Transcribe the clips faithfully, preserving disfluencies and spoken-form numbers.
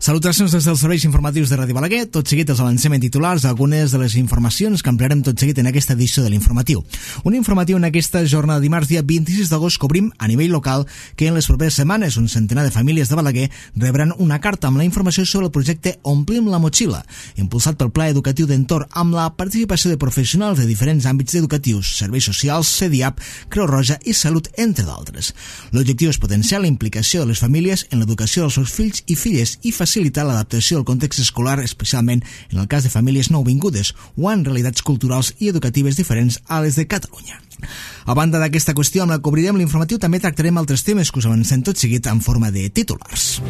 Salutacions des dels serveis informatius de Ràdio Balaguer. Tot seguit els avancem en titulars algunes de les informacions que ampliarem tot seguit en aquesta edició de l'informatiu. Un informatiu en aquesta jornada de dimarts, dia vint-i-sis d'agost, cobrim a nivell local que en les properes setmanes un centenar de famílies de Balaguer rebran una carta amb la informació sobre el projecte Omplim la Motxilla, impulsat pel Pla Educatiu d'Entorn amb la participació de professionals de diferents àmbits educatius, serveis socials, C D I A P, Creu Roja i Salut, entre d'altres. L'objectiu és potenciar la implicació de les famílies en l'educació dels seus fills i filles i facilitar l'adaptació al context escolar, especialment en el cas de famílies nouvingudes o en realitats culturals i educatives diferents a les de Catalunya. A banda d'aquesta qüestió amb la que obrirem l'informatiu, també tractarem altres temes que us avancem tot seguit en forma de titulars.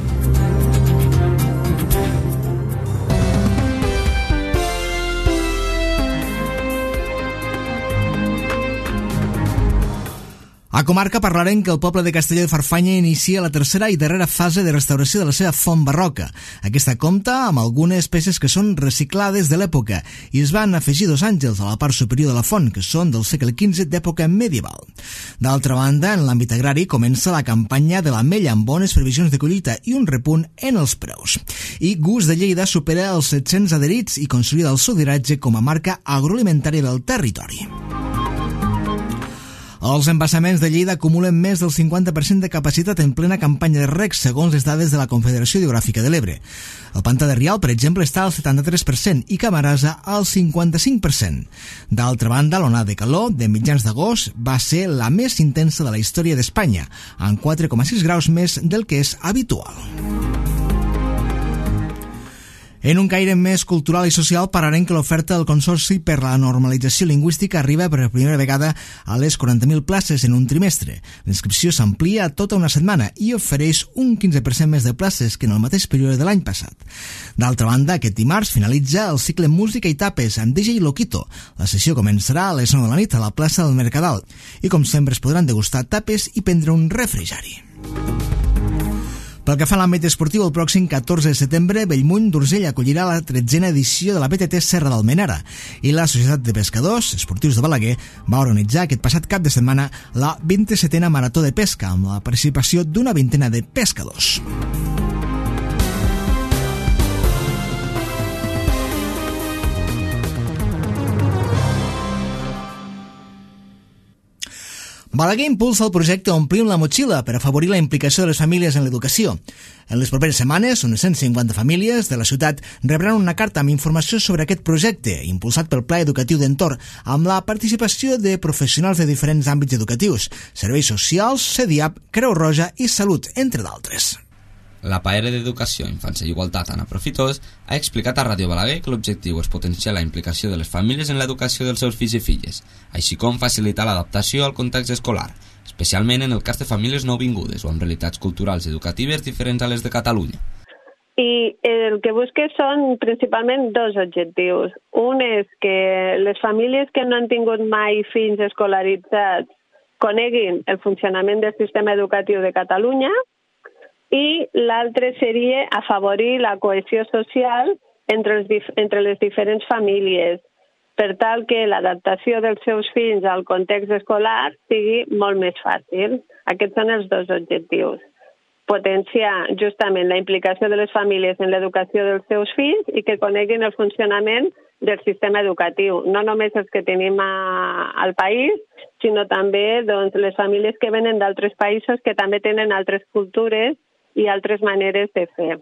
A comarca parlarem que el poble de Castelló de Farfanya inicia la tercera i darrera fase de restauració de la seva font barroca. Aquesta compta amb algunes peces que són reciclades de l'època i es van afegir dos àngels a la part superior de la font, que són del segle quinze d'època medieval. D'altra banda, en l'àmbit agrari comença la campanya de l'ametlla amb bones previsions de collita i un repunt en els preus. I Gust de Lleida supera els set-cents adherits i consolida el seu lideratge com a marca agroalimentària del territori. Els embassaments de Lleida acumulen més del cinquanta per cent de capacitat en plena campanya de reg, segons les dades de la Confederació Hidrogràfica de l'Ebre. El pantà de Rial, per exemple, està al setanta-tres per cent i Camarasa al cinquanta-cinc per cent. D'altra banda, l'onada de calor de mitjans d'agost va ser la més intensa de la història d'Espanya, amb quatre coma sis graus més del que és habitual. En un caire més cultural i social, parlarem que l'oferta del Consorci per la Normalització Lingüística arriba per primera vegada a les quaranta mil places en un trimestre. L'inscripció s'amplia a tota una setmana i ofereix un quinze per cent més de places que en el mateix període de l'any passat. D'altra banda, aquest dimarts finalitza el cicle Música i Tapes amb D J Loquito. La sessió començarà a les nou de la nit a la plaça del Mercadal i, com sempre, es podran degustar tapes i prendre un refrigeri. Pel que fa a l'àmbit esportiu, el pròxim catorze de setembre, Bellmunt d'Urgell acollirà la tretzena edició de la B T T Serra d'Almenara i la Societat de Pescadors Esportius de Balaguer va organitzar aquest passat cap de setmana la vint-i-setena Marató de Pesca amb la participació d'una vintena de pescadors. Balaguer impulsa el projecte Omplim la Motxilla per afavorir la implicació de les famílies en l'educació. En les properes setmanes, unes cent cinquanta famílies de la ciutat rebran una carta amb informació sobre aquest projecte, impulsat pel Pla Educatiu d'Entorn, amb la participació de professionals de diferents àmbits educatius, serveis socials, C D I A P, Creu Roja i Salut, entre d'altres. La P A R d'Educació, Infància i Igualtat, Anna Profitós, ha explicat a Ràdio Balaguer que l'objectiu és potenciar la implicació de les famílies en l'educació dels seus fills i filles, així com facilitar l'adaptació al context escolar, especialment en el cas de famílies nouvingudes o amb realitats culturals i educatives diferents a les de Catalunya. I el que busca són principalment dos objectius. Un és que les famílies que no han tingut mai fills escolaritzats coneguin el funcionament del sistema educatiu de Catalunya, i l'altre seria afavorir la cohesió social entre, els dif- entre les diferents famílies, per tal que l'adaptació dels seus fills al context escolar sigui molt més fàcil. Aquests són els dos objectius. Potenciar justament la implicació de les famílies en l'educació dels seus fills i que coneguin el funcionament del sistema educatiu, no només els que tenim a, al país, sinó també doncs, les famílies que venen d'altres països que també tenen altres cultures i altres maneres de fer.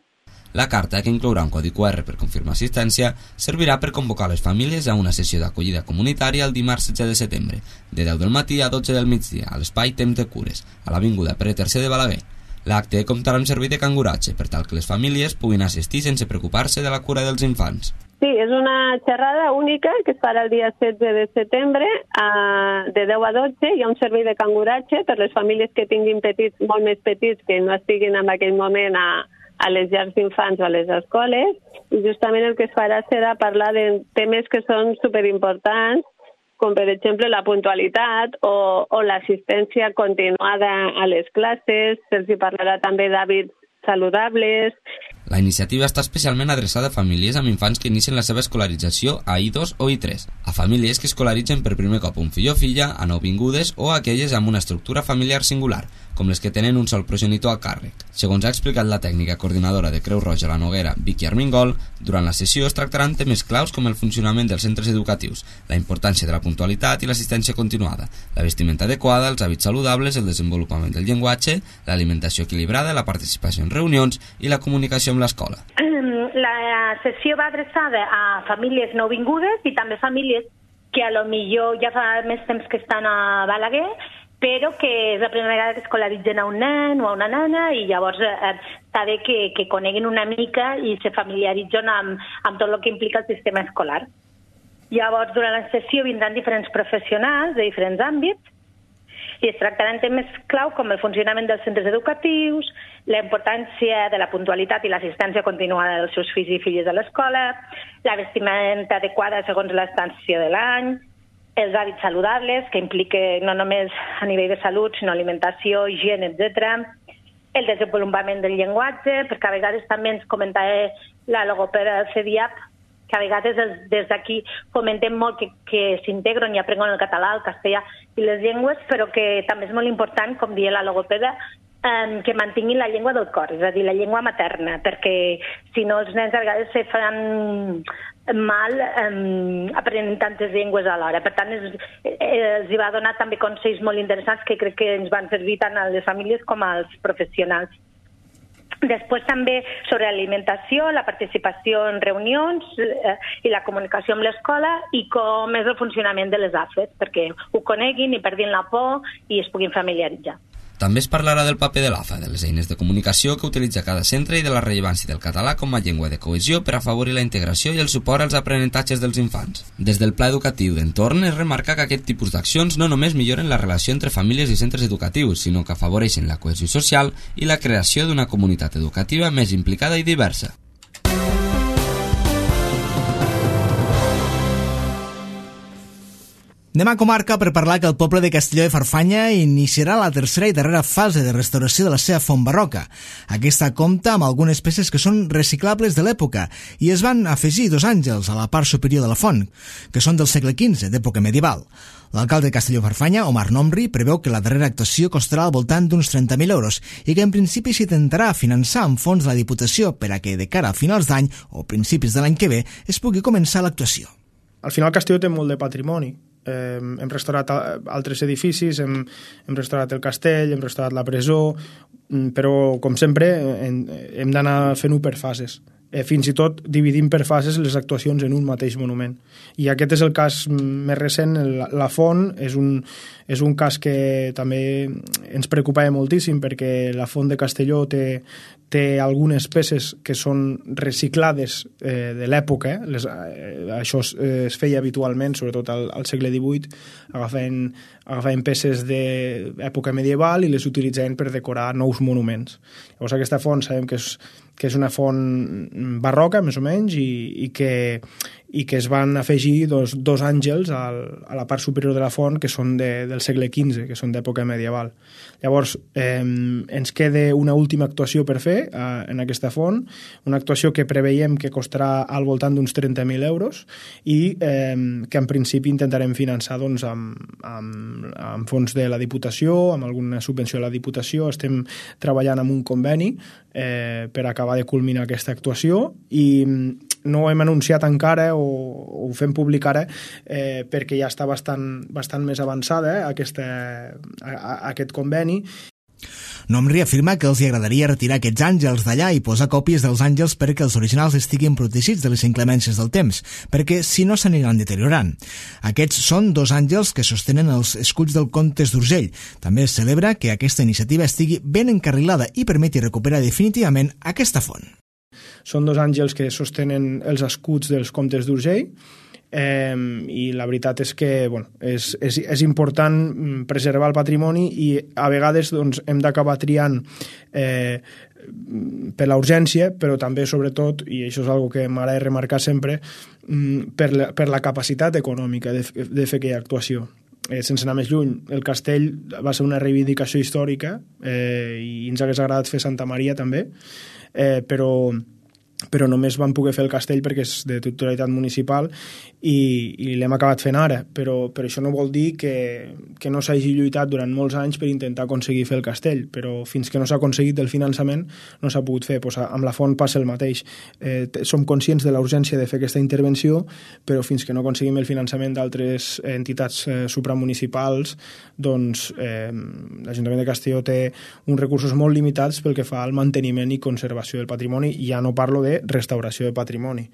La carta, que inclourà un codi Q R per confirmar assistència, servirà per convocar les famílies a una sessió d'acollida comunitària el dimarts setze de setembre, de deu del matí a dotze del migdia, a l'espai Temps de Cures, a l'Avinguda Pere tercer de Balaguer. L'acte comptarà amb servei de canguratge per tal que les famílies puguin assistir sense preocupar-se de la cura dels infants. Sí, és una xerrada única que es farà el dia setze de setembre a, de deu a dotze. Hi ha un servei de canguratge per les famílies que tinguin petits, molt més petits, que no estiguin en aquell moment a, a les llars d'infants o a les escoles. I justament el que es farà serà parlar de temes que són superimportants, com per exemple la puntualitat o, o l'assistència continuada a les classes. Se'ls parlarà també d'hàbits saludables. La iniciativa està especialment adreçada a famílies amb infants que inicien la seva escolarització a I dos o I tres, a famílies que escolaritzen per primer cop un fill o filla, a nouvingudes o a aquelles amb una estructura familiar singular, com les que tenen un sol progenitor a càrrec. Segons ha explicat la tècnica coordinadora de Creu Roja a la Noguera, Vicky Armengol, durant la sessió es tractaran temes claus com el funcionament dels centres educatius, la importància de la puntualitat i l'assistència continuada, la vestimenta adequada, els hàbits saludables, el desenvolupament del llenguatge, l'alimentació equilibrada, la participació en reunions i la comunicació amb l'escola. La sessió va adreçada a famílies nouvingudes i també famílies que a lo millor ja fa més temps que estan a Balaguer, però que és la primera vegada que escolaritzen a un nen o a una nena i llavors eh, està bé que, que coneguin una mica i se familiaritzen amb, amb tot el que implica el sistema escolar. Llavors, durant la sessió vindran diferents professionals de diferents àmbits i es tractaran temes clau com el funcionament dels centres educatius, la importància de la puntualitat i l'assistència continuada dels seus fills i filles a l'escola, la vestimenta adequada segons l'estància de l'any, els hàbits saludables, que implica no només a nivell de salut, sinó alimentació, higiene, etcètera, el desenvolupament del llenguatge, perquè a vegades també ens comentava la logopeda del C D I A P, que a vegades des d'aquí fomentem molt que, que s'integren i aprenguen el català, el castellà i les llengües, però que també és molt important, com deia la logopeda, eh, que mantinguin la llengua del cor, és a dir, la llengua materna, perquè si no els nens a vegades se fan mal eh, aprenent tantes llengües alhora. Per tant, es, eh, els hi va donar també consells molt interessants que crec que ens van servir tant a les famílies com als professionals. Després també sobre l'alimentació, la participació en reunions eh, i la comunicació amb l'escola i com és el funcionament de les A F E, perquè ho coneguin i perdin la por i es puguin familiaritzar. També es parlarà del paper de l'A F A, de les eines de comunicació que utilitza cada centre i de la rellevància del català com a llengua de cohesió per afavorir la integració i el suport als aprenentatges dels infants. Des del pla educatiu d'entorn es remarca que aquest tipus d'accions no només milloren la relació entre famílies i centres educatius, sinó que afavoreixen la cohesió social i la creació d'una comunitat educativa més implicada i diversa. Anem a comarca per parlar que el poble de Castelló de Farfanya iniciarà la tercera i darrera fase de restauració de la seva font barroca. Aquesta compta amb algunes peces que són reciclables de l'època i es van afegir dos àngels a la part superior de la font, que són del segle quinze, d'època medieval. L'alcalde de Castelló de Farfanya, Omar Nomri, preveu que la darrera actuació costarà al voltant d'uns trenta mil euros i que en principi s'intentarà finançar amb fons de la Diputació per a que de cara a finals d'any o principis de l'any que ve es pugui començar l'actuació. Al final Castelló té molt de patrimoni. Eh, hem restaurat altres edificis, hem, hem restaurat el castell, hem restaurat la presó, però com sempre hem, hem d'anar fent-ho per fases. Eh, fins i tot dividim per fases les actuacions en un mateix monument. I aquest és el cas més recent, la, la font és un, és un cas que també ens preocupava moltíssim perquè la font de Castelló té, té algunes peces que són reciclades eh, de l'època, eh? Les, eh, això es, eh, es feia habitualment, sobretot al, al segle divuit, agafant, agafant peces d'època medieval i les utilitzaven per decorar nous monuments. Llavors aquesta font sabem que és, que és una font barroca, més o menys, i, i, que, i que es van afegir dos, dos àngels al, a la part superior de la font que són de, del segle quinze, que són d'època medieval. Llavors, eh, ens queda una última actuació per fer eh, en aquesta font, una actuació que preveiem que costarà al voltant d'uns trenta mil euros i eh, que en principi intentarem finançar doncs, amb, amb, amb fons de la Diputació, amb alguna subvenció de la Diputació. Estem treballant amb un conveni eh, per acabar de culminar aquesta actuació i no ho hem anunciat encara o, o ho fem públic ara eh, perquè ja està bastant, bastant més avançada eh, aquesta, a, a, aquest conveni. Nomri afirma que els agradaria retirar aquests àngels d'allà i posar còpies dels àngels perquè els originals estiguin protegits de les inclemències del temps, perquè si no s'aniran deteriorant. Aquests són dos àngels que sostenen els escuts del Comtes d'Urgell. També es celebra que aquesta iniciativa estigui ben encarrilada i permeti recuperar definitivament aquesta font. Són dos àngels que sostenen els escuts dels Comtes d'Urgell eh, i la veritat és que bueno, és, és, és important preservar el patrimoni i a vegades doncs, hem d'acabar triant eh, per la urgència, però també sobretot, i això és una que m'agrada remarcar sempre, per la, per la capacitat econòmica de, de fer aquella actuació. eh, sense anar més lluny, el castell va ser una reivindicació històrica eh, i ens hagués agradat fer Santa Maria també, eh, però però només vam poder fer el castell perquè és de titularitat municipal i, i l'hem acabat fent ara, però, però això no vol dir que, que no s'hagi lluitat durant molts anys per intentar aconseguir fer el castell, però fins que no s'ha aconseguit el finançament no s'ha pogut fer. Pues amb la font passa el mateix. Eh, som conscients de la urgència de fer aquesta intervenció, però fins que no aconseguim el finançament d'altres entitats eh, supramunicipals, doncs eh, l'Ajuntament de Castelló té uns recursos molt limitats pel que fa al manteniment i conservació del patrimoni, i ja no parlo de restauració de patrimoni.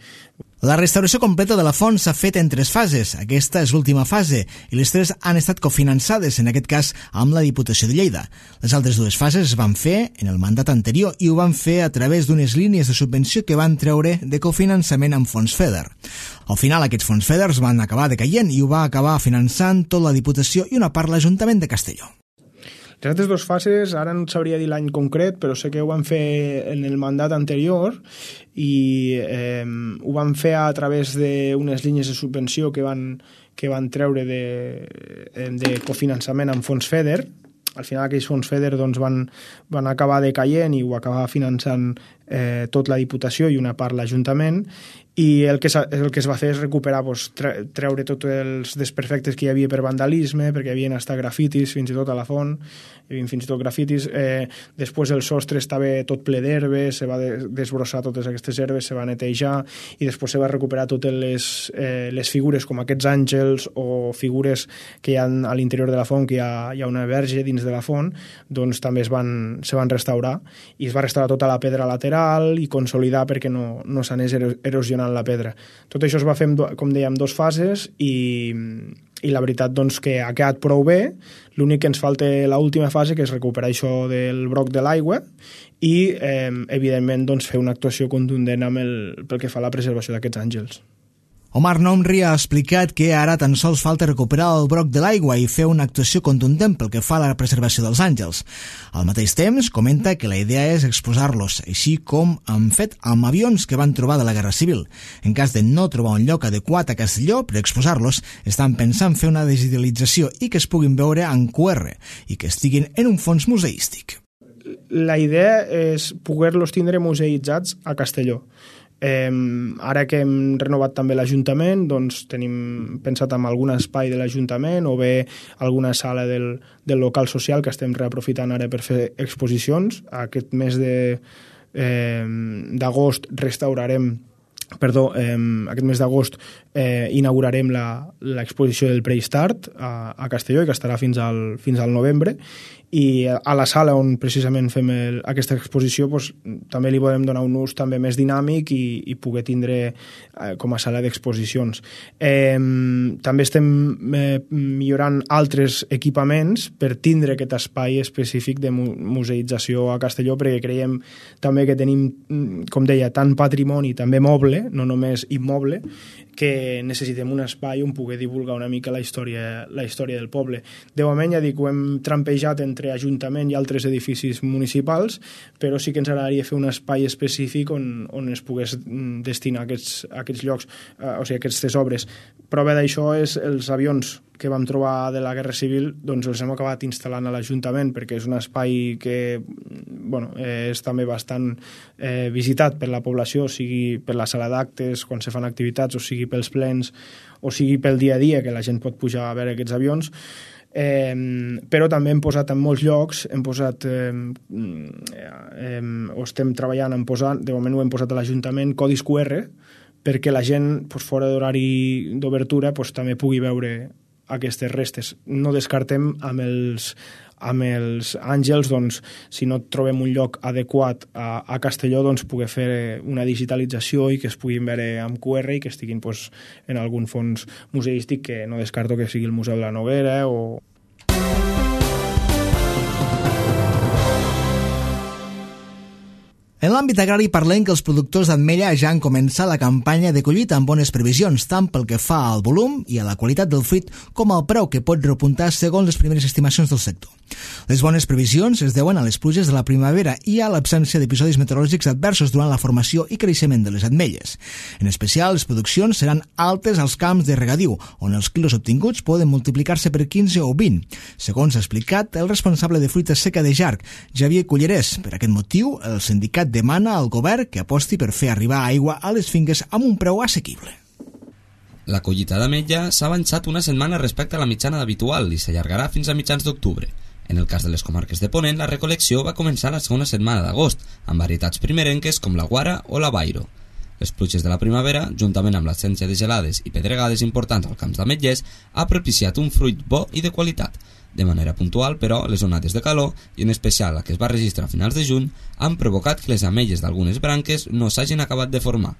La restauració completa de la font s'ha fet en tres fases. Aquesta és l'última fase i les tres han estat cofinançades, en aquest cas amb la Diputació de Lleida. Les altres dues fases es van fer en el mandat anterior i ho van fer a través d'unes línies de subvenció que van treure de cofinançament amb fons FEDER. Al final aquests fons FEDER van acabar decaient i ho va acabar finançant tot la Diputació i una part l'Ajuntament de Castelló. Les altres dues fases, ara no sabria dir l'any concret, però sé que ho van fer en el mandat anterior i eh, ho van fer a través d'unes línies de subvenció que van, que van treure de, de cofinançament amb fons FEDER. Al final aquells fons FEDER doncs, van, van acabar decaient i ho acabava finançant eh, tot la Diputació i una part l'Ajuntament, i el que, el que es va fer és recuperar, doncs, treure tots els desperfectes que hi havia per vandalisme, perquè hi havia estat grafitis fins i tot a la font, hi havia fins i tot grafitis. Eh, després el sostre estava tot ple d'herbes, se va desbrossar totes aquestes herbes, se va netejar, i després se va recuperar totes les, eh, les figures com aquests àngels o figures que hi ha a l'interior de la font, que hi ha, hi ha una verge dins de la font, doncs també es van, se van restaurar, i es va restaurar tota la pedra lateral i consolidar perquè no, no s'anés erosionant la pedra. Tot això es va fer, com dèiem, dos fases i, i la veritat doncs, que ha quedat prou bé. L'únic que ens falta l'última fase, que és recuperar això del broc de l'aigua i, eh, evidentment, doncs, fer una actuació contundent amb el, pel que fa a la preservació d'aquests àngels. Omar Nomri ha explicat que ara tan sols falta recuperar el broc de l'aigua i fer una actuació contundent pel que fa a la preservació dels àngels. Al mateix temps, comenta que la idea és exposar-los, així com han fet amb avions que van trobar de la Guerra Civil. En cas de no trobar un lloc adequat a Castelló per exposar-los, estan pensant fer una digitalització i que es puguin veure en Q R i que estiguin en un fons museístic. La idea és poder-los tindre museïtzats a Castelló. Eh, ara que hem renovat també l'Ajuntament, doncs tenim pensat en algun espai de l'Ajuntament o bé alguna sala del, del local social que estem reaprofitant ara per fer exposicions. Aquest mes de, eh, d'agost restaurarem Perdó, eh, aquest mes d'agost eh, inaugurarem l'exposició del Prehistart a, a Castelló, i que estarà fins al, fins al novembre, i a la sala on precisament fem el, aquesta exposició doncs, també li podem donar un ús també més dinàmic i, i poder tindre eh, com a sala d'exposicions. Eh, també estem eh, millorant altres equipaments per tindre aquest espai específic de mu museïtzació a Castelló, perquè creiem també que tenim, com deia, tant patrimoni, també moble, no només immoble, que necessitem un espai on poder divulgar una mica la història, la història del poble. De moment, ja dic, ho hem trampejat entre Ajuntament i altres edificis municipals, però sí que ens agradaria fer un espai específic on, on es pogués destinar aquests, aquests llocs, eh, o sigui, aquestes obres. Prova d'això és els avions que vam trobar de la Guerra Civil, doncs els hem acabat instal·lant a l'Ajuntament, perquè és un espai que bueno, és també bastant eh, visitat per la població, sigui per la sala d'actes, quan se fan activitats, o sigui pels plens, o sigui pel dia a dia, que la gent pot pujar a veure aquests avions. Eh, però també hem posat en molts llocs, hem posat, eh, eh, o estem treballant en posar, de moment ho hem posat a l'Ajuntament, codis Q R, perquè la gent, doncs, fora d'horari d'obertura, doncs, també pugui veure aquestes restes. No descartem amb els, amb els àngels, doncs, si no trobem un lloc adequat a, a Castelló, doncs, poder fer una digitalització i que es puguin veure amb Q R i que estiguin doncs, en algun fons museístic, que no descarto que sigui el Museu de la Noguera o... En l'àmbit agrari parlem que els productors d'ametlla ja han començat la campanya de collita amb bones previsions, tant pel que fa al volum i a la qualitat del fruit com al preu que pot repuntar segons les primeres estimacions del sector. Les bones previsions es deuen a les pluges de la primavera i a l'absència d'episodis meteorològics adversos durant la formació i creixement de les ametlles. En especial, les produccions seran altes als camps de regadiu, on els quilos obtinguts poden multiplicar-se per quinze o vint, segons ha explicat el responsable de fruita seca de Jarc, Xavier Cullerés. Per aquest motiu, el sindicat demana al govern que aposti per fer arribar aigua a les finques amb un preu assequible. La collita d'ametlla s'ha avançat una setmana respecte a la mitjana habitual i s'allargarà fins a mitjans d'octubre. En el cas de les comarques de Ponent, la recolecció va començar la segona setmana d'agost, amb varietats primerenques com la Guara o la Bairo. Les pluges de la primavera, juntament amb l'absència de gelades i pedregades importants als camps d'ametllers, ha propiciat un fruit bo i de qualitat. De manera puntual, però, les onades de calor, i en especial la que es va registrar a finals de juny, han provocat que les ametlles d'algunes branques no s'hagin acabat de formar.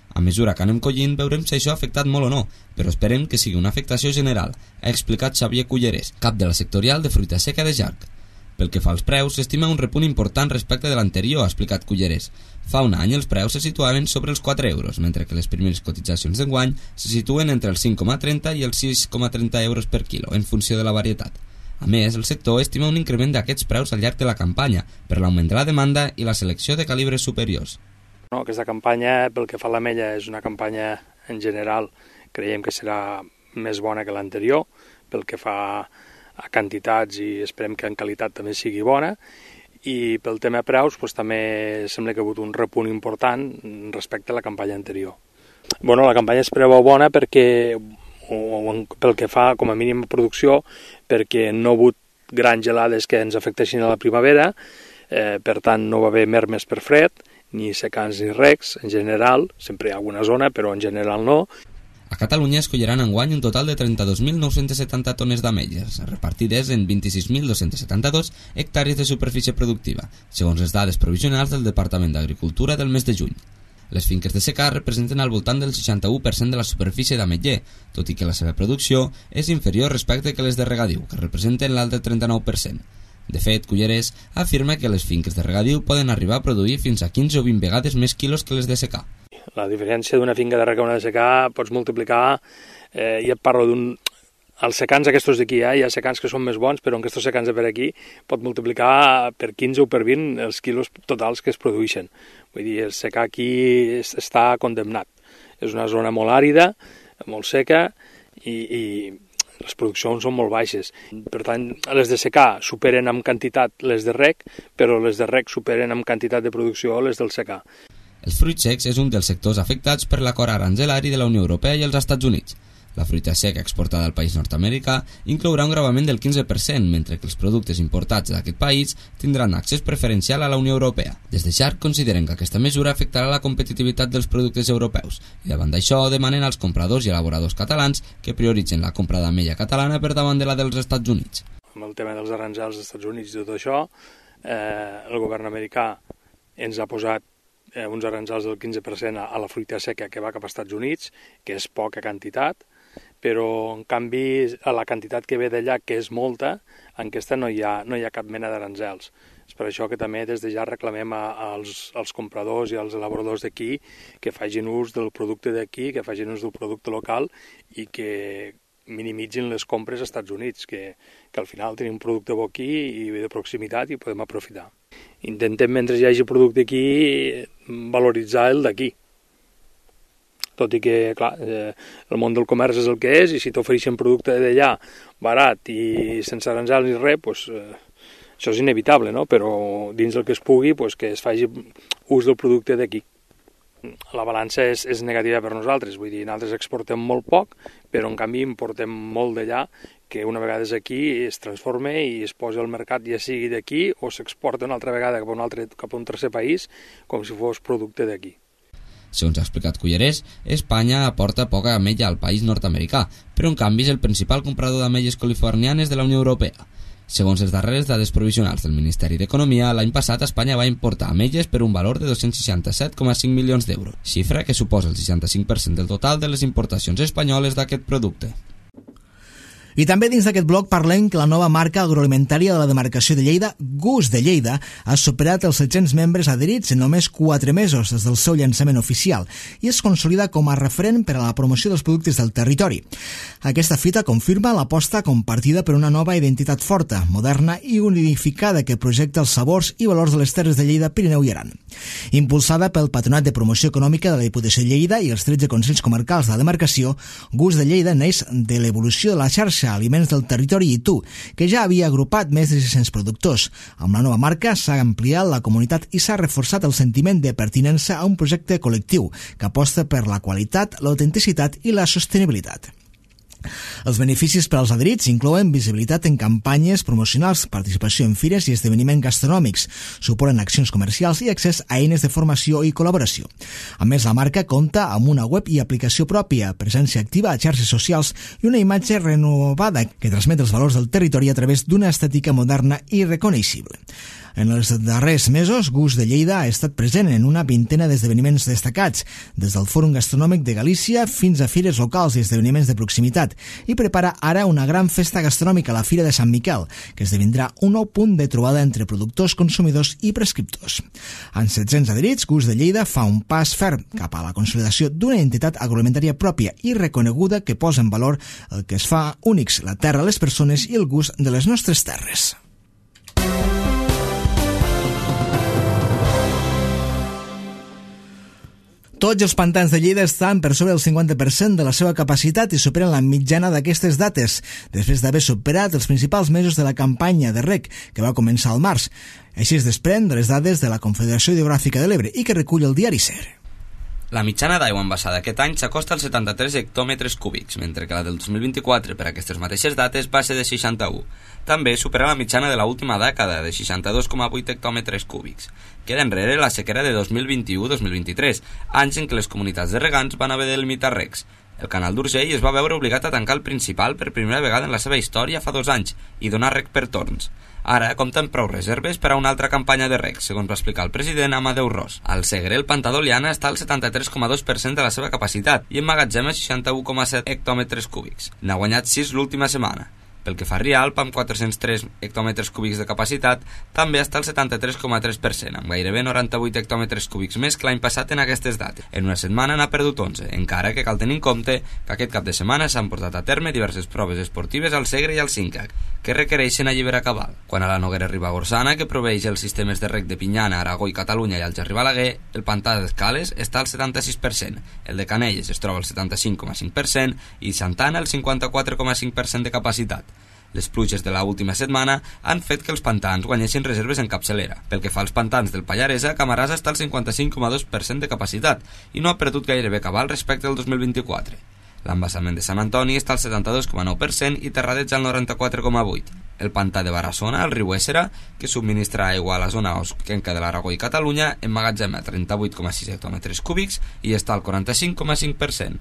A mesura que anem collint, veurem si això ha afectat molt o no, però esperem que sigui una afectació general, ha explicat Xavier Cullerés, cap de la sectorial de fruita seca de Jarc. Pel que fa als preus, s'estima un repunt important respecte de l'anterior, ha explicat Cullerés. Fa un any els preus se situaven sobre els quatre euros, mentre que les primeres cotitzacions d'enguany se situen entre els cinc coma trenta i els sis coma trenta euros per quilo, en funció de la varietat. A més, el sector estima un increment d'aquests preus al llarg de la campanya per l'augment de la demanda i la selecció de calibres superiors. No, aquesta campanya, pel que fa a l'ametlla, és una campanya en general, creiem que serà més bona que l'anterior, pel que fa a quantitats i esperem que en qualitat també sigui bona, i pel tema preus doncs, també sembla que ha hagut un repunt important respecte a la campanya anterior. Bueno, la campanya es preveu bona perquè, o pel que fa com a mínim producció, perquè no ha hagut grans gelades que ens afectessin a la primavera, eh, per tant no va haver mermes per fred, ni secans ni recs, en general, sempre hi ha alguna zona, però en general no. A Catalunya es colliran enguany un total de trenta-dos mil nou-cents setanta tones d'ametlles, repartides en vint-i-sis mil dos-cents setanta-dos hectàrees de superfície productiva, segons les dades provisionals del Departament d'Agricultura del mes de juny. Les finques de secà representen al voltant del seixanta-u per cent de la superfície d'ametller, tot i que la seva producció és inferior respecte que les de regadiu, que representen l'altre trenta-nou per cent. De fet, Cullerés afirma que les finques de regadiu poden arribar a produir fins a quinze o vint vegades més quilos que les de secà. La diferència d'una finca de regadiu i una de secà pots multiplicar, eh, ja et parlo d'un... Els secans aquests d'aquí, eh, hi ha secans que són més bons, però en aquests secans de per aquí pot multiplicar per quinze o per vint els quilos totals que es produeixen. Vull dir, el secà aquí està condemnat. És una zona molt àrida, molt seca i... i les produccions són molt baixes. Per tant, les de secà superen en quantitat les de rec, però les de rec superen en quantitat de producció les del secà. Els fruits secs és un dels sectors afectats per l'acord aranzelari de la Unió Europea i els Estats Units. La fruita seca exportada al país nord-americà inclourà un gravament del quinze per cent, mentre que els productes importats d'aquest país tindran accés preferencial a la Unió Europea. Des de Jarc consideren que aquesta mesura afectarà la competitivitat dels productes europeus i davant d'això demanen als compradors i elaboradors catalans que prioritzen la compra d'ametlla catalana per davant de la dels Estats Units. Amb el tema dels aranzels dels Estats Units i tot això, eh, el govern americà ens ha posat eh, uns aranzels del quinze per cent a, a la fruita seca que va cap als Estats Units, que és poca quantitat, però en canvi a la quantitat que ve d'allà, que és molta, en aquesta no hi ha, no hi ha cap mena d'aranzels. És per això que també des de ja reclamem a, als, als compradors i als elaboradors d'aquí que facin ús del producte d'aquí, que facin ús del producte local i que minimitzin les compres als Estats Units, que, que al final tenim un producte bo aquí i de proximitat i podem aprofitar. Intentem, mentre hi hagi producte aquí, valoritzar el d'aquí. Tot i que, clar, eh, el món del comerç és el que és i si t'ofereixen producte d'allà barat i sense aranzels ni res, pues, eh, això és inevitable, no? Però dins del que es pugui, pues, que es faci ús del producte d'aquí. La balança és, és negativa per nosaltres, vull dir, nosaltres exportem molt poc, però en canvi importem molt d'allà, que una vegada és aquí es transforma i es posa al mercat, ja sigui d'aquí o s'exporta una altra vegada cap a un, altre, cap a un tercer país com si fos producte d'aquí. Segons ha explicat Cullerés, Espanya aporta poca ametlla al país nord-americà, però en canvi és el principal comprador d'ametlles californianes de la Unió Europea. Segons les darreres dades provisionals del Ministeri d'Economia, l'any passat Espanya va importar ametlles per un valor de dos-cents seixanta-set coma cinc milions d'euros, xifra que suposa el seixanta-cinc per cent del total de les importacions espanyoles d'aquest producte. I també dins d'aquest bloc parlem que la nova marca agroalimentària de la demarcació de Lleida, Gust de Lleida, ha superat els set-cents membres adherits en només quatre mesos des del seu llançament oficial i es consolida com a referent per a la promoció dels productes del territori. Aquesta fita confirma l'aposta compartida per una nova identitat forta, moderna i unificada que projecta els sabors i valors de les terres de Lleida, Pirineu i Aran. Impulsada pel Patronat de Promoció Econòmica de la Diputació de Lleida i els tretze consells comarcals de la demarcació, Gust de Lleida neix de l'evolució de la xarxa Aliments del Territori i Tu, que ja havia agrupat més de sis-cents productors. Amb la nova marca s'ha ampliat la comunitat i s'ha reforçat el sentiment de pertinença a un projecte col·lectiu que aposta per la qualitat, l'autenticitat i la sostenibilitat. Els beneficis per als adherits inclouen visibilitat en campanyes promocionals, participació en fires i esdeveniments gastronòmics, suport en accions comercials i accés a eines de formació i col·laboració. A més, la marca compta amb una web i aplicació pròpia, presència activa a xarxes socials i una imatge renovada que transmet els valors del territori a través d'una estètica moderna i reconeixible. En els darrers mesos, Gust de Lleida ha estat present en una vintena d'esdeveniments destacats, des del Fòrum Gastronòmic de Galícia fins a fires locals i esdeveniments de proximitat, i prepara ara una gran festa gastronòmica a la Fira de Sant Miquel, que esdevindrà un nou punt de trobada entre productors, consumidors i prescriptors. Amb set-cents adherits, Gust de Lleida fa un pas ferm cap a la consolidació d'una entitat agroalimentària pròpia i reconeguda que posa en valor el que es fa únics, la terra, les persones i el gust de les nostres terres. Tots els pantans de Lleida estan per sobre del cinquanta per cent de la seva capacitat i superen la mitjana d'aquestes dates, després d'haver superat els principals mesos de la campanya de reg, que va començar al març. Així es desprèn de les dades de la Confederació Hidrogràfica de l'Ebre i que recull el diari Ser. La mitjana d'aigua envasada aquest any s'acosta als setanta-tres hectòmetres cúbics, mentre que la del dos mil vint-i-quatre per aquestes mateixes dates va ser de seixanta-u. També supera la mitjana de l'última dècada, de seixanta-dos coma vuit hectòmetres cúbics. Queda enrere la sequera de dos mil vint-i-u dos mil vint-i-tres, anys en què les comunitats de regants van haver de limitar regs. El canal d'Urgell es va veure obligat a tancar el principal per primera vegada en la seva història fa dos anys i donar reg per torns. Ara compta amb prou reserves per a una altra campanya de reg, segons va explicar el president Amadeu Ros. Al Segre, el pantà d'Oliana està al setanta-tres coma dos per cent de la seva capacitat i emmagatzema seixanta-u coma set hectòmetres cúbics. N'ha guanyat sis l'última setmana. Pel que fa a Rialp, amb quatre-cents tres hectòmetres cúbics de capacitat, també està al setanta-tres coma tres per cent, amb gairebé noranta-vuit hectòmetres cúbics més que l'any passat en aquestes dates. En una setmana n'ha perdut onze, encara que cal tenir en compte que aquest cap de setmana s'han portat a terme diverses proves esportives al Segre i al Cincac, que requereixen alliberar cabal. Quan a la Noguera Ribagorçana, que proveeix els sistemes de reg de Pinyana, Aragó i Catalunya i al Gerri Balaguer, el pantà d'Escales està al setanta-sis per cent, el de Canelles es troba al setanta-cinc coma cinc per cent i Santana al cinquanta-quatre coma cinc per cent de capacitat. Les pluges de l'última setmana han fet que els pantans guanyessin reserves en capçalera. Pel que fa als pantans del Pallaresa, Camarasa està al cinquanta-cinc coma dos per cent de capacitat i no ha perdut gairebé cabal respecte al dos mil vint-i-quatre. L'embassament de Sant Antoni està al setanta-dos coma nou per cent i Terradets al noranta-quatre coma vuit per cent. El pantà de Barassona, el riu Éssera, que subministra aigua a la zona osquenca de l'Aragó i Catalunya, emmagatzema trenta-vuit coma sis hectòmetres cúbics i està al quaranta-cinc coma cinc per cent.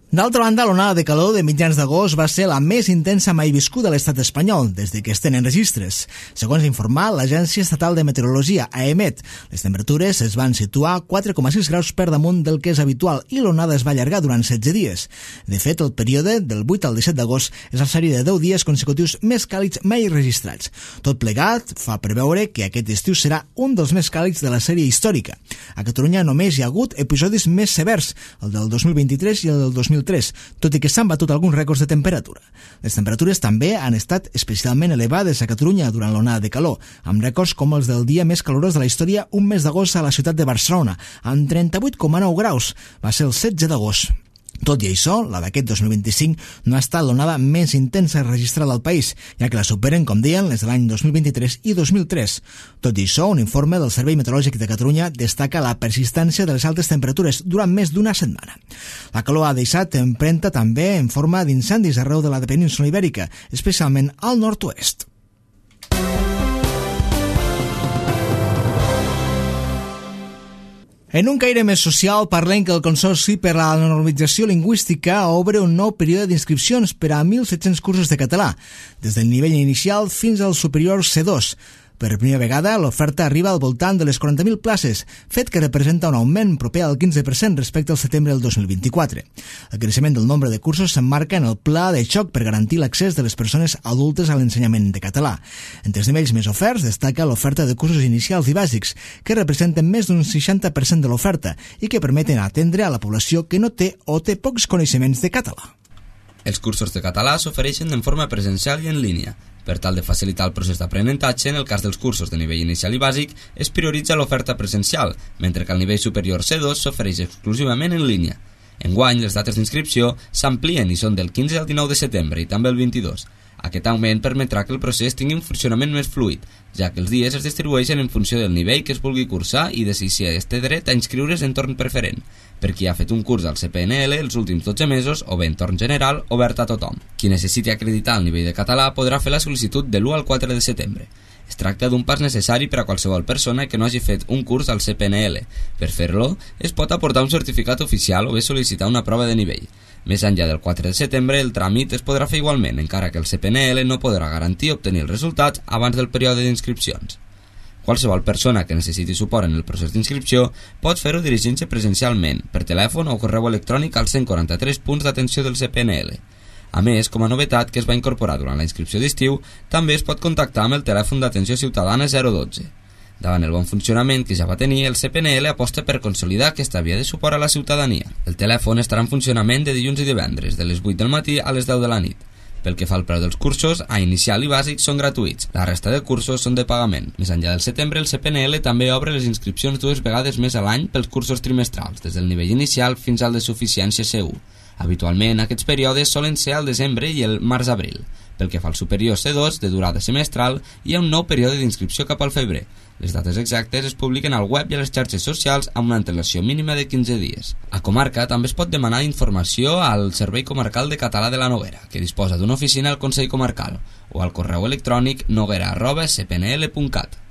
D'altra banda, l'onada de calor de mitjans d'agost va ser la més intensa mai viscuda a l'estat espanyol, des de que es tenen registres. Segons informa l'Agència Estatal de Meteorologia, AEMET, les temperatures es van situar quatre coma sis graus per damunt del que és habitual i l'onada es va allargar durant setze dies. De fet, el període del vuit al disset d'agost és la sèrie de deu dies consecutius més càlids mai registrats. Tot plegat fa preveure que aquest estiu serà un dels més càlids de la sèrie històrica. A Catalunya només hi ha hagut episodis més severs, el del dos mil vint-i-tres i el del dos mil tres, tot i que s'han batut alguns rècords de temperatura. Les temperatures també han estat especialment elevades a Catalunya durant l'onada de calor, amb rècords com els del dia més calorós de la història un mes d'agost a la ciutat de Barcelona, amb trenta-vuit coma nou graus. Va ser el setze d'agost. Tot i això, la d'aquest dos mil vint-i-cinc no ha estat l'onada més intensa registrada al país, ja que la superen, com deien, les de l'any dos mil vint-i-tres i dos mil tres. Tot i això, un informe del Servei Meteorològic de Catalunya destaca la persistència de les altes temperatures durant més d'una setmana. La calor ha deixat empremta també en forma d'incendis arreu de la península ibèrica, especialment al nord-oest. En un caire més social, parlem que el Consorci per a la Normalització Lingüística obre un nou període d'inscripcions per a mil set-cents cursos de català, des del nivell inicial fins al superior C dos. Per primera vegada, l'oferta arriba al voltant de les quaranta mil places, fet que representa un augment proper al quinze per cent respecte al setembre del dos mil vint-i-quatre. El creixement del nombre de cursos s'emmarca en el pla de xoc per garantir l'accés de les persones adultes a l'ensenyament de català. Entre els nivells més oferts destaca l'oferta de cursos inicials i bàsics, que representen més d'un seixanta per cent de l'oferta i que permeten atendre a la població que no té o té pocs coneixements de català. Els cursos de català s'ofereixen en forma presencial i en línia. Per tal de facilitar el procés d'aprenentatge, en el cas dels cursos de nivell inicial i bàsic, es prioritza l'oferta presencial, mentre que al nivell superior C dos s'ofereix exclusivament en línia. Enguany, les dates d'inscripció s'amplien i són del quinze al dinou de setembre i també el vint-i-dos. Aquest augment permetrà que el procés tingui un funcionament més fluid, ja que els dies es distribueixen en funció del nivell que es vulgui cursar i de si es té dret a inscriure's en torn preferent, per qui ha fet un curs al C P N L els últims dotze mesos o bé en torn general obert a tothom. Qui necessiti acreditar el nivell de català podrà fer la sol·licitud de l'u al quatre de setembre. Es tracta d'un pas necessari per a qualsevol persona que no hagi fet un curs al C P N L. Per fer-lo, es pot aportar un certificat oficial o bé sol·licitar una prova de nivell. Més enllà del quatre de setembre, el tràmit es podrà fer igualment, encara que el C P N L no podrà garantir obtenir els resultats abans del període d'inscripcions. Qualsevol persona que necessiti suport en el procés d'inscripció pot fer-ho dirigint-se presencialment, per telèfon o correu electrònic als cent quaranta-tres punts d'atenció del C P N L. A més, com a novetat que es va incorporar durant la inscripció d'estiu, també es pot contactar amb el telèfon d'atenció ciutadana zero dotze. Davant el bon funcionament que ja va tenir, el C P N L aposta per consolidar aquesta via de suport a la ciutadania. El telèfon estarà en funcionament de dilluns i divendres, de les vuit del matí a les deu de la nit. Pel que fa al preu dels cursos, a inicial i bàsic són gratuïts, la resta de cursos són de pagament. Més enllà del setembre, el C P N L també obre les inscripcions dues vegades més a l'any pels cursos trimestrals, des del nivell inicial fins al de suficiència C u. Habitualment, aquests períodes solen ser al desembre i el març-abril. Pel que fa al superior C dos, de durada semestral, hi ha un nou període d'inscripció cap al febrer. Les dates exactes es publiquen al web i a les xarxes socials amb una antelació mínima de quinze dies. A comarca també es pot demanar informació al Servei Comarcal de Català de la Noguera, que disposa d'una oficina al Consell Comarcal, o al correu electrònic noguera arroba c p n l punt cat.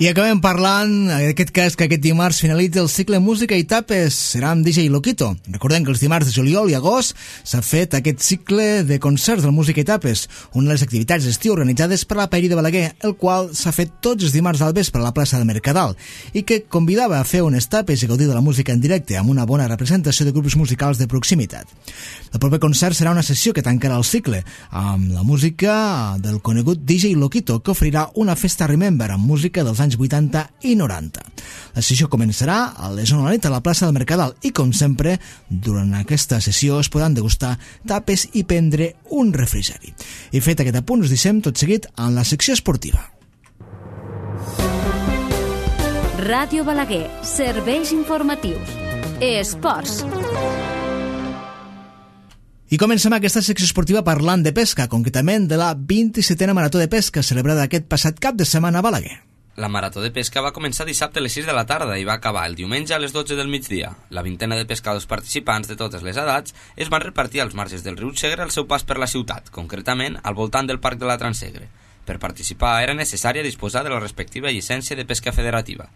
I acabem parlant, en aquest cas, que aquest dimarts finalitza el cicle Música i Tapes. Serà amb D J Loquito. Recordem que els dimarts de juliol i agost s'ha fet aquest cicle de concerts del Música i Tapes, una de les activitats d'estiu organitzades per la Paeria de Balaguer, el qual s'ha fet tots els dimarts al vespre a la plaça de Mercadal, i que convidava a fer unes tapes i gaudir de la música en directe amb una bona representació de grups musicals de proximitat. El proper concert serà una sessió que tancarà el cicle, amb la música del conegut D J Loquito, que oferirà una festa Remember amb música dels anys vuitanta i noranta. La sessió començarà a les onze de la nit a la plaça del Mercadal i, com sempre, durant aquesta sessió es podran degustar tapes i prendre un refrigeri. I fet aquest apunt, us deixem tot seguit en la secció esportiva. Ràdio Balaguer, serveis informatius. Esports. I comencem aquesta secció esportiva parlant de pesca, concretament de la vint-i-setena Marató de Pesca celebrada aquest passat cap de setmana a Balaguer. La Marató de Pesca va començar dissabte a les sis de la tarda i va acabar el diumenge a les dotze del migdia. La vintena de pescadors participants de totes les edats es van repartir als marges del riu Segre al seu pas per la ciutat, concretament al voltant del Parc de la Transsegre. Per participar era necessària disposar de la respectiva llicència de pesca federativa.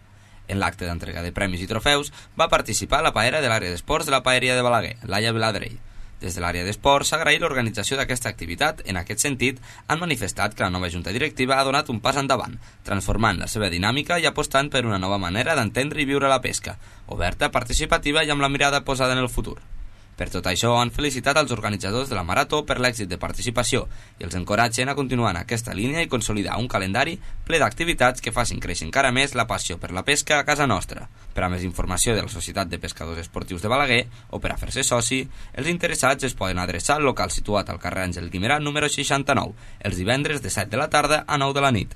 En l'acte d'entrega de premis i trofeus va participar la paera de l'àrea d'esports de la Paeria de Balaguer, Laia Viladrell. Des de l'àrea d'esports s'ha agraït l'organització d'aquesta activitat. En aquest sentit, han manifestat que la nova junta directiva ha donat un pas endavant, transformant la seva dinàmica i apostant per una nova manera d'entendre i viure la pesca, oberta, participativa i amb la mirada posada en el futur. Per tot això, han felicitat als organitzadors de la Marató per l'èxit de participació i els encoratgen a continuar en aquesta línia i consolidar un calendari ple d'activitats que facin créixer encara més la passió per la pesca a casa nostra. Per a més informació de la Societat de Pescadors Esportius de Balaguer o per a fer-se soci, els interessats es poden adreçar al local situat al carrer Àngel Guimerà número seixanta-nou, els divendres de set de la tarda a nou de la nit.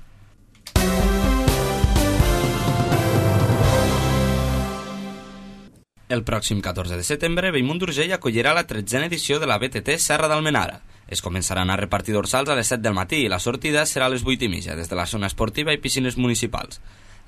El pròxim catorze de setembre, Bellmunt d'Urgell acollirà la tretzena edició de la B T T Serra d'Almenara. Es començaran a repartir dorsals a les set del matí i la sortida serà a les vuit i mitja des de la zona esportiva i piscines municipals.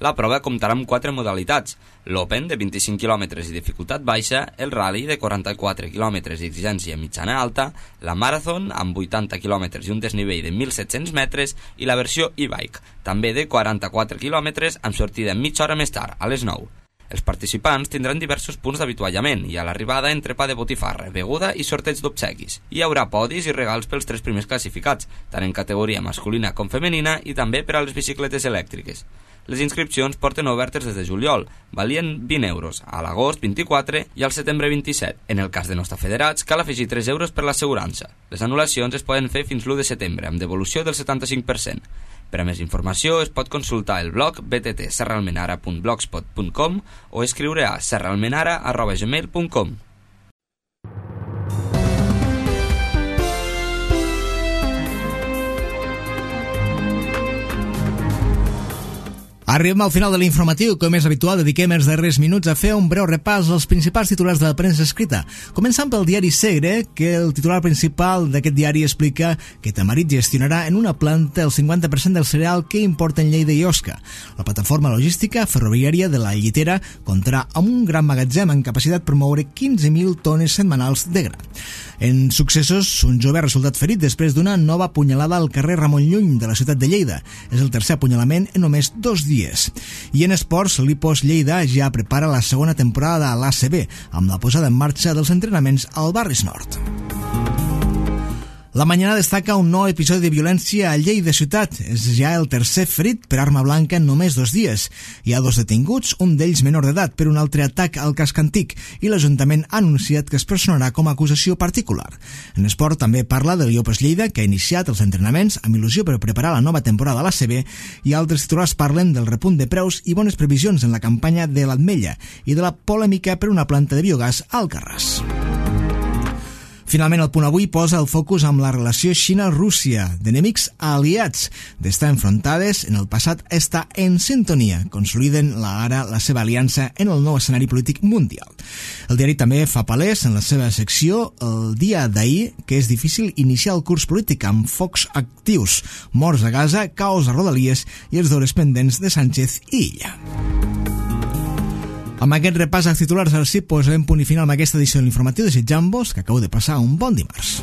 La prova comptarà amb quatre modalitats: l'Open, de vint-i-cinc quilòmetres i dificultat baixa, el Rally, de quaranta-quatre quilòmetres i exigència mitjana-alta, la Marathon, amb vuitanta quilòmetres i un desnivell de mil set-cents metres, i la versió e-bike, també de quaranta-quatre quilòmetres, amb sortida mitja hora més tard, a les nou. Els participants tindran diversos punts d'avituallament i a l'arribada entrepà de botifarra, beguda i sorteig d'obsequis. Hi haurà podis i regals pels tres primers classificats, tant en categoria masculina com femenina i també per a les bicicletes elèctriques. Les inscripcions porten obertes des de juliol, valien vint euros, a l'agost vint-i-quatre i al setembre vint-i-set. En el cas de no estar federats, cal afegir tres euros per l'assegurança. Les anul·lacions es poden fer fins l'u de setembre, amb devolució del setanta-cinc per cent. Per a més informació es pot consultar el blog b t t serralmenara punt blogspot punt com o escriure a serralmenara arroba gmail punt com. Arribem al final de l'informatiu, com és habitual, dediquem els darrers minuts a fer un breu repàs als principals titulars de la premsa escrita. Començant pel diari Segre, que el titular principal d'aquest diari explica que Tamarit gestionarà en una planta el cinquanta per cent del cereal que importen Lleida i Osca. La plataforma logística ferroviària de la Llitera comptarà amb un gran magatzem amb capacitat per moure quinze mil tones setmanals de gra. En successos, un jove ha resultat ferit després d'una nova punyalada al carrer Ramon Llull de la ciutat de Lleida. És el tercer apunyalament en només dos dies. I en esports, l'Ipos Lleida ja prepara la segona temporada a l'A C B, amb la posada en marxa dels entrenaments al Barris Nord. La Mañana destaca un nou episodi de violència a Lleida ciutat. És ja el tercer ferit per arma blanca en només dos dies. Hi ha dos detinguts, un d'ells menor d'edat, per un altre atac al casc antic, i l'Ajuntament ha anunciat que es personarà com a acusació particular. En esport també parla del Iopes Lleida, que ha iniciat els entrenaments amb il·lusió per preparar la nova temporada a l'A C B, i altres titulars parlen del repunt de preus i bones previsions en la campanya de l'Ametlla i de la polèmica per una planta de biogàs al Alcarràs. Finalment, el Punt Avui posa el focus amb la relació Xina-Rússia, d'enemics a aliats, d'estar enfrontades en el passat a estar en sintonia, consoliden la ara la seva aliança en el nou escenari polític mundial. El diari també fa palès en la seva secció el dia d'ahir que és difícil iniciar el curs polític amb focs actius, morts a Gaza, caos a Rodalies i els deures pendents de Sánchez i Illa. Amb aquest repàs als titulars al C I P posem punt i final amb aquesta edició de l'informatiu, desitjant-vos que acabeu de passar un bon dimarts.